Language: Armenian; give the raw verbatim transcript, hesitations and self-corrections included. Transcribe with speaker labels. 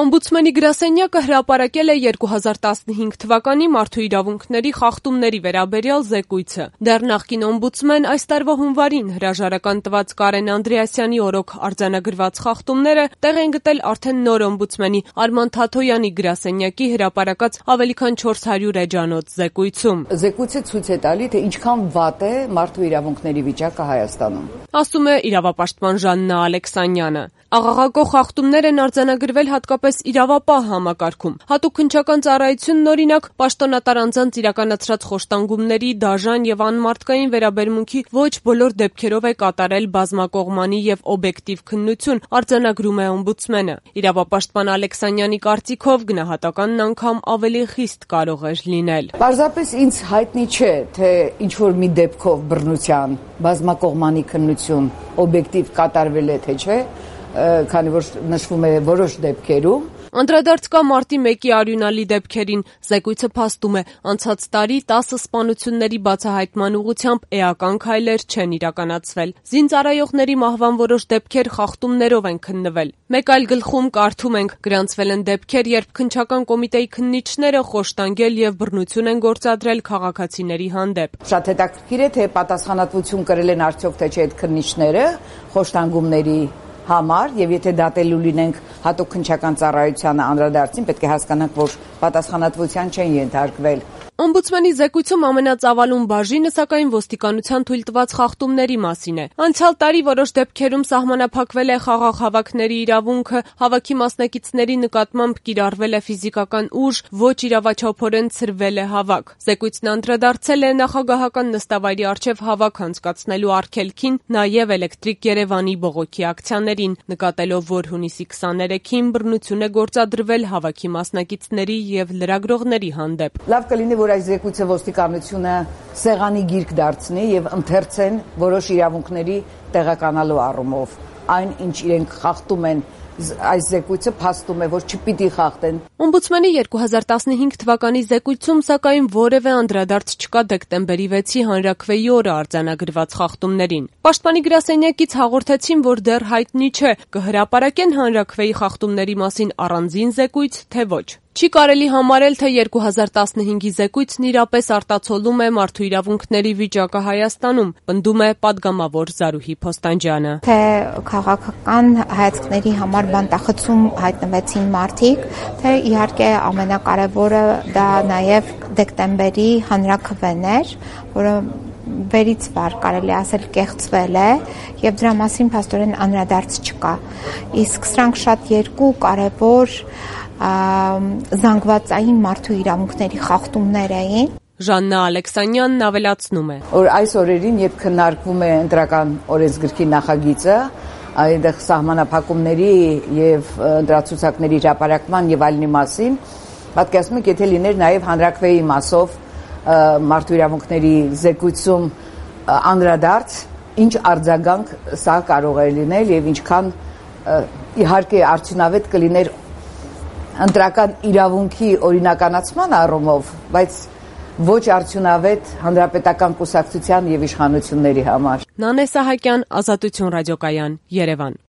Speaker 1: Օմբուդսմենի գրասենյակը հրապարակել է երկու հազար տասնհինգ թվականի մարդու իրավունքների խախտումների վերաբերյալ զեկույցը։ Դեռ նախկին օմբուդսմեն այս տարվա հունվարին հրաժարական տված Կարեն Անդրեասյանի օրոք արձանագրված խախտումները տեղ են գտել արդեն նոր օմբուդսմենի Արման Թաթոյանի գրասենյակի հրապարակած ավելի քան չորս հարյուր էջանոց զեկույցում։
Speaker 2: Զեկույցը ցույց է տալի, թե ինչքան վատ է մարդու իրավունքների վիճակը Հայաստանում,
Speaker 1: ասում է իրավապաշտպան Ժաննա Ալեքսանյանը։ Աղաղակող խախտումներ են արձանագրվել հատկապես իրավապահ համակարգում։ Հատուկ քննչական ծառայությունն օրինակ պաշտոնատար անձանց իրականացրած խոշտանգումների, դաժան եւ անմարդկային վերաբերմունքի ոչ բոլոր դեպքերով է կատարել բազմակողմանի եւ օբյեկտիվ քննություն, արձանագրում է օմբուդսմենը։ Իրավապաշտպան Ալեքսանյանի կարծիքով գնահատականն անգամ ավելի խիստ կարող էր լինել։
Speaker 2: Պարզապես ինձ հայտնի չէ, թե ինչ որ մի դեպքով բռնության բազմակողմանի քննություն օբյեկտիվ կատարվել է, թե չէ, քանի որ նշվում է որոշ դեպքերում։
Speaker 1: Անդրադարձ կա մարտի մեկի արյունալի դեպքերին։ Զեկույցը փաստում է, անցած տարի տասը սպանությունների բացահայտման ուղղությամբ էական քայլեր չեն իրականացվել։ Զինծառայողների մահվան որոշ դեպքեր խախտումներով են քննվել։ Մեկ այլ գլխում կարդում ենք՝ գրանցվել են դեպքեր, երբ քննչական կոմիտեի քննիչները խոշտանգել եւ բռնություն են գործադրել քաղաքացիների հանդեպ։
Speaker 2: Շատ հետաքրքիր է, թե պատասխանատվություն կրել են արդյոք թե չէ այդ քննիչները խոշտանգումների համար, եւ եթե դատելու լինենք հատուկ քննչական ծառայությանը անդրադարձին, պետք է հասկանանք, որ պատասխանատվության չեն ենթարկվել։
Speaker 1: Օմբուդսմենի զեկույցում ամենածավալուն բաժինը սակայն ոստիկանության թույլ տված խախտումների մասին է։ Անցյալ տարի որոշ դեպքերում սահմանափակվել է խաղաղ հավաքների իրավունքը, հավաքի մասնակիցների նկատմամբ կիրառվել է ֆիզիկական ուժ, ոչ իրավաչափորեն ցրվել է հավաք։ Զեկույցն անդրադարձել է նախագահական նստավայրի առջև հավաք անցկացնելու արգելքին, նաև Էլեկտրիկ Երևանի բողոքի ակցիաներին, նկատելով, որ հունիսի քսաներեքին բռնություն է գործադրվել հավաքի մասնակիցների եւ լրագրողների հանդեպ։
Speaker 2: Լավ կլինի, որ այս զեկույցը ոստիկանությունը սեղանի գիրք դարձնի եւ ընթերցեն որոշ իրավունքների տեղականալու առումով։ Այն, ինչ իրենք խախտում են, այս զեկույցը փաստում է, որ չպիտի խախտեն։
Speaker 1: Օմբուդսմենի երկու հազար տասնհինգ թվականի զեկույցում սակայն որևէ անդրադարձ չկա դեկտեմբերի վեցի հանրաքվեի օրը արձանագրված խախտումներին։ Պաշտպանի գրասենյակից հաղորդեցին, որ դեռ հայտնի չէ, կհրապարակեն հանրաքվեի խախտումների մասին առանձին զեկույց, թե ոչ։ Չի կարելի համարել, թե երկու հազար տասնհինգի զեկույցն իրապես արտացոլում է մարդու իրավունքների վիճակը Հայաստանում, պնդում է պատգամավոր Զարուհի Փոստանջյանը։
Speaker 3: Թե քաղաքական հայացքների համար բանտախցում հայտնվեցին մարդիկ, թե իհարկե ամենակարևորը դա նաև դեկտեմբերի հանրաքվեն էր, որը վերից վար կարելի ասել կեղծվել է եւ դրա մասին փաստորեն անդրադարձ չկա։ Իսկ սրանք շատ երկու կարևոր զանգվածային մարդու իրավունքների խախտումներ էին։
Speaker 1: Ժաննա Ալեքսանյանն ավելացնում է,
Speaker 2: որ այս օրերին, երբ քննարկվում է ընտրական օրենսգրքի նախագիծը, այդտեղ սահմանափակումների եւ ընտրացուցակների հրապարակման եւ այլնի մասին, պատկերացնում եք, եթե լիներ նաեւ հանրաքվեի մասով մարդու իրավունքների զեկույցում անդրադարձ, ինչ արձագանք սա կարող է լինել եւ ինչքան իհարկե արդյունավետ կլիներ ընտրական իրավունքի օրինականացման առումով, բայց ոչ արդյունավետ հանրապետական կուսակցության եւ իշխանությունների համար։
Speaker 1: Նանե Սահակյան, Ազատություն ռադիոկայան, Երևան։